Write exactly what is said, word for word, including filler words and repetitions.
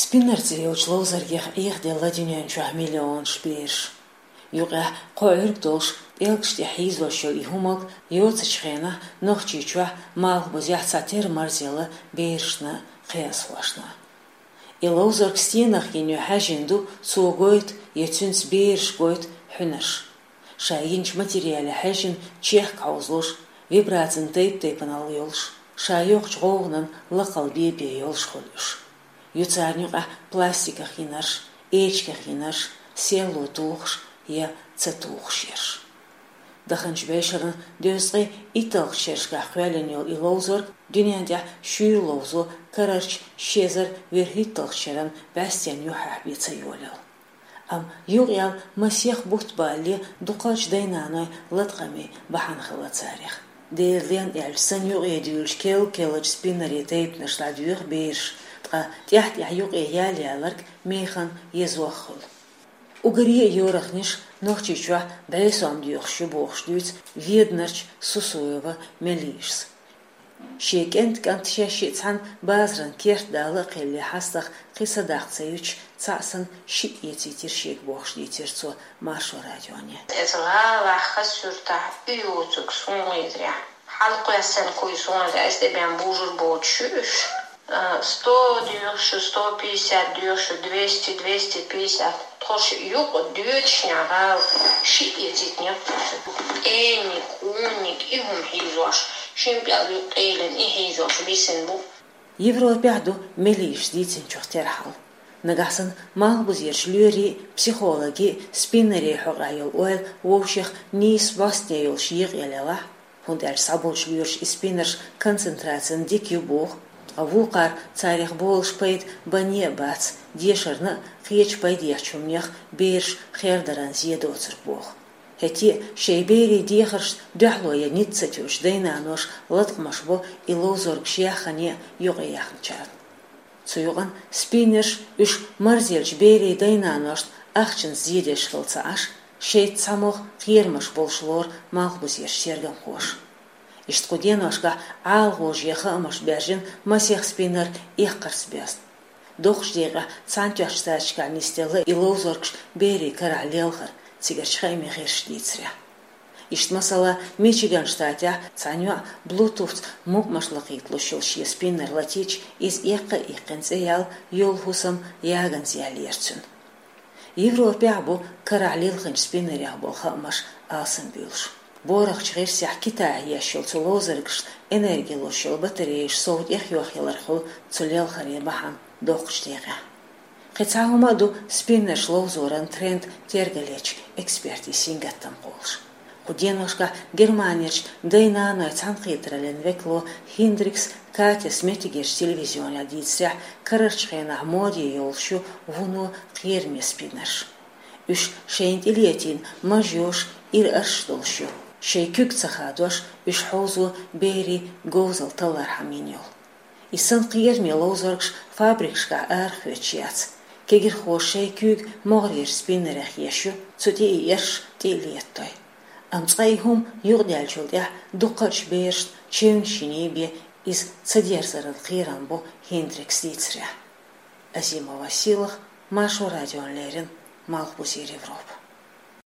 Спиннер цӀи йолчу ловзаргех Ӏехаделла дуьнен чохь миллионаш бераш. Юкъехь кхо Ӏуьрг долуш, пӀелгаш тӀе хьийзош йолу и хӀуманиг йоцучу хенахь Нохчийчохь Малхбузехь цхьатерра марзъелла берашна, кхиазхошна. И ловзарг стенах йина ю хьаьжжина ду, цо гойту я цуьнца бераша гойту хьуьнарш. Ша йинчу материале хьаьжжина чехка хьовзалуш, вибрацин тайп-тайпанал йолуш, ша йоккхучу гӀовгӀанан лакхалла бен-бен йолуш хуьлу уьш. Ю царна юкъахь пластиках йинарш, эчигах йинарш, селло тухуш я ца тухуш ерш. Даханчу бӀешеран дезткъе итталгӀачу шерашкахь кхоьллина йолу и ловзарг дуьнен тӀехь шуьйра ловзо карарчу ши эзар вуьрхӀитталгӀачу шеран бӀаьстенан юьххьехь бен ца йолаелла. Амма юкъаяьлла масех бутт балале дукхачу дай-наной латкъаме бахьана хилла царех. Делан лен аьлча санна юкъе дуьйлучу кел-келлачу спиннерийн тайпанаш дӀадоьху бераш, ткъа тӀаьхь-тӀаьхьа юкъе ял-яларг механа езох хуьлу. Уггаре а йорах ниш Нохчийчохь бӀе сом доьхуш ю бохуш дуьйцу Веданарчу Сусуева Мелисас. Шен кӀентан кӀант шаьш шиъ цхьаьна базаран керт дала а кхелле хьастагӀа кхин садаккха ца юьтуш, цхьаъ санна шиъ эцийтира шега бохуш дийцира цо Маршо радионе. Иза гӀалахь хаза суьртахь уьйоцург суна лайзарехь. Хьалакхоьссина куй суна, аса тӀе бен бужур боцуш ю уьш. А, сто доьхуш ю, сто пятьдесят доьхуш ю, двести, двести пятьдесят. Тхо шиъ юкъа доьдучу нагӀал шиъ эцийтинера. ПӀениг, къониг, и хӀума хьийзош, шина пӀелг юкъа къелина и хьийзош бисина бу. Европехь ду Мелисас дийцинчух тера хьал. Нагахь санна Малхбузерчу лоьрийн, психологийн спиннерийн хьокъехь йолу ойла вовшех нийса бӀостане йолуш екъаелла елахь, хӀунда аьлча схьаболчу лоьраша и спиннерш концентрацина дика ю боху, ткъа вукхара царех болуш пайда бан а бац, дешарна а, кхечу пайдехьчу хӀуманех бераш хердаран зен доцург боху. ХӀетте а шайн берийн дехаршна дуьхьало ян ницкъ ца тоьуш дай-наноша латкъамаш бо и ловзаргаш яххане а юкъаяьхначарна. Цу юкъана спиннерш уьш марзъеллачу берийн дай-наношна ахчанца зен деш хилла ца Ӏаш, шайца цхьамогӀа кхерамаш болуш лору Малхбузерчу тергамхоша. Иштта кху деношкахь ӀалагӀожа хаамаш баьржина масех спиннер эккхарца боьзна. Доккхачу декъехь Цхьаьнатоьхначу Штаташкахь нисделла и ловзаргаш берийн карахь лелхар, цигарчу хаамийн гӀирсаша дийцарехь. Иштта, масала, Мичиган штатехь цхьана йоӀа Bluetooth-ца мукъамаш лакхийталуш йолу шен спиннер латийча, иза эккха а иккхина цӀе яьлла, йолу хӀусам яганца яьллера цуьнан. Европехь а бу карахь лилхинчу спиннерех болу хаамаш алсамбуьйлуш. БорхӀачу гӀирсехь Китайхь еш йолу цу ловзаргашна энерги луш йолу батареяш сов тӀехйохъялар хуьлу цу лелхаре бахьана доккхачу декъехь. Кхин цхьа хӀума а ду спиннерш ловзоран тренд тергалечу экспертийн сингаттам кхоллуш. Кху деношкахь Германерчу дай-наной цхьаьнакхетараллин векало Хиндрикс Катяс меттигерчу телевизионехь дийцарехь, карарчу хенахь моде йолуш ю вуно кхераме спиннерш. Уьш шайна тӀелетийна мажош, ира арш долуш ю. Шайн куьг ца хадош, уьш хьовзо берийн говзалла таллархьама йина йолу. И санна кхераме ловзаргаш фабрикашкахь арахоьцуш яц. Кегирхоша шайн куьйга могӀарерчу спиннерех еш ю, цу тӀе и эрш тӀе а летадой. Амма цкъа и хӀума юкъадаьллачул тӀаьхьа дуккхачу берашна чевнаш йиний бен иза ца дерзаран кхерам бу Хиндрикс дийцарехь. Азимова Сийлаха, Маршо радиона леррина, Малхбузера Европа.